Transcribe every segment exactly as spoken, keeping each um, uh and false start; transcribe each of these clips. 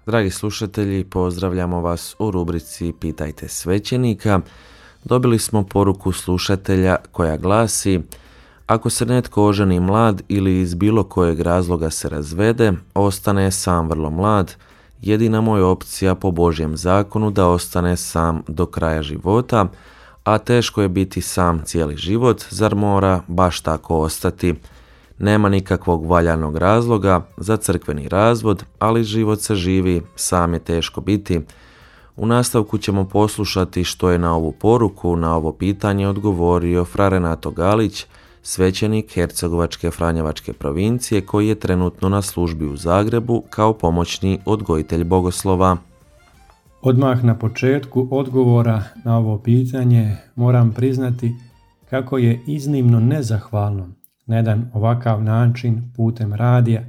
Dragi slušatelji, pozdravljamo vas u rubrici Pitajte svećenika. Dobili smo poruku slušatelja koja glasi: ako se netko oženi mlad ili iz bilo kojeg razloga se razvede, ostane sam vrlo mlad, jedina mu je opcija po Božjem zakonu da ostane sam do kraja života, a teško je biti sam cijeli život, zar mora baš tako ostati? Nema nikakvog valjanog razloga za crkveni razvod, ali život se živi, sam je teško biti. U nastavku ćemo poslušati što je na ovu poruku, na ovo pitanje odgovorio fra Renato Galić, svećenik Hercegovačke Franjevačke provincije koji je trenutno na službi u Zagrebu kao pomoćni odgojitelj bogoslova. Odmah na početku odgovora na ovo pitanje moram priznati kako je iznimno nezahvalno na jedan ovakav način putem radija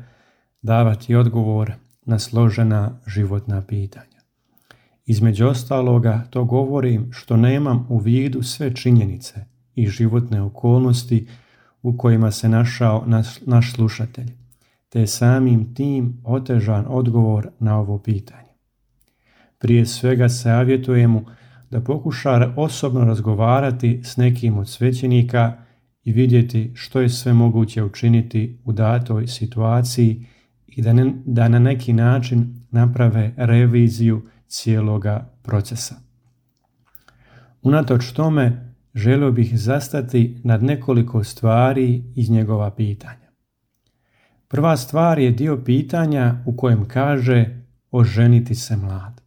davati odgovor na složena životna pitanja. Između ostaloga to govorim što nemam u vidu sve činjenice i životne okolnosti u kojima se našao naš, naš slušatelj, te je samim tim otežan odgovor na ovo pitanje. Prije svega savjetujem mu da pokuša osobno razgovarati s nekim od svećenika i vidjeti što je sve moguće učiniti u datoj situaciji i da, ne, da na neki način naprave reviziju cijeloga procesa. Unatoč tome, želio bih zastati nad nekoliko stvari iz njegova pitanja. Prva stvar je dio pitanja u kojem kaže oženiti se mlad.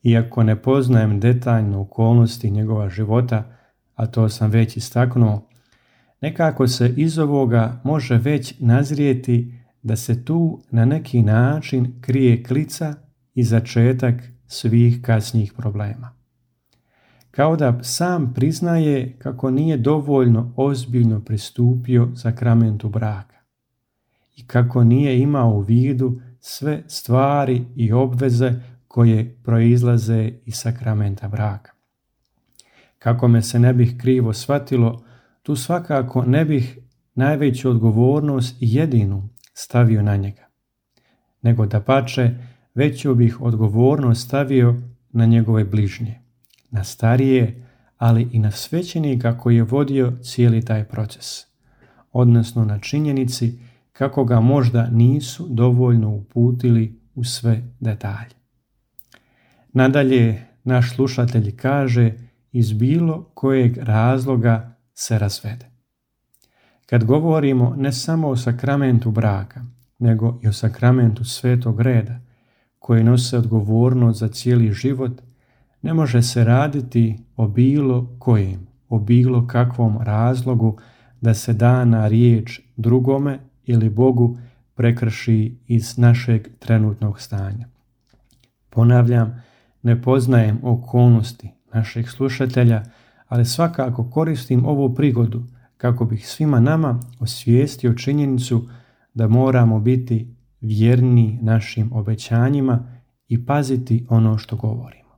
Iako ne poznajem detaljno okolnosti njegova života, a to sam već istaknuo, nekako se iz ovoga može već nazrijeti da se tu na neki način krije klica i začetak svih kasnijih problema. Kao da sam priznaje kako nije dovoljno ozbiljno pristupio sakramentu braka i kako nije imao u vidu sve stvari i obveze koje proizlaze iz sakramenta braka. Kako me se ne bih krivo shvatilo, tu svakako ne bih najveću odgovornost i jedinu stavio na njega, nego dapače veću bih odgovornost stavio na njegove bližnje, na starije, ali i na svećenika koji je vodio cijeli taj proces, odnosno na činjenici kako ga možda nisu dovoljno uputili u sve detalje. Nadalje, naš slušatelj kaže iz bilo kojeg razloga se razvede. Kad govorimo ne samo o sakramentu braka, nego i o sakramentu svetog reda, koji nose odgovornost za cijeli život, ne može se raditi o bilo kojem, o bilo kakvom razlogu da se dana riječ drugome ili Bogu prekrši iz našeg trenutnog stanja. Ponavljam, ne poznajem okolnosti naših slušatelja, ali svakako koristim ovu prigodu kako bih svima nama osvijestio činjenicu da moramo biti vjerni našim obećanjima i paziti ono što govorimo.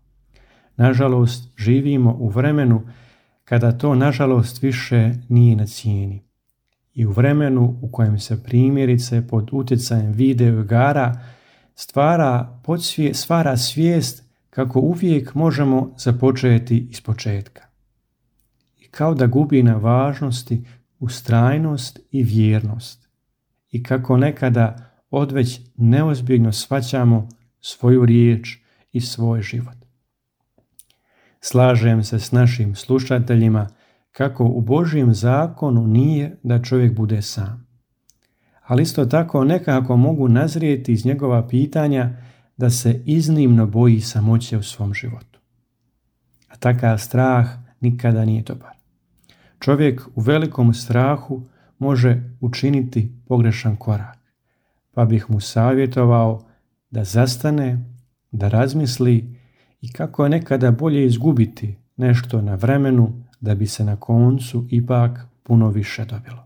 Nažalost, živimo u vremenu kada to nažalost više nije na cijeni i u vremenu u kojem se primjerice pod utjecajem video igara stvara, podsvije, stvara svijest kako uvijek možemo započeti iz početka. I kao da gubi na važnosti ustrajnost i vjernost. I kako nekada odveć neozbiljno shvaćamo svoju riječ i svoj život. Slažem se s našim slušateljima kako u Božjem zakonu nije da čovjek bude sam. Ali isto tako nekako mogu nazrijeti iz njegova pitanja da se iznimno boji samoće u svom životu. A takav strah nikada nije dobar. Čovjek u velikom strahu može učiniti pogrešan korak, pa bih mu savjetovao da zastane, da razmisli i kako je nekada bolje izgubiti nešto na vremenu da bi se na koncu ipak puno više dobilo.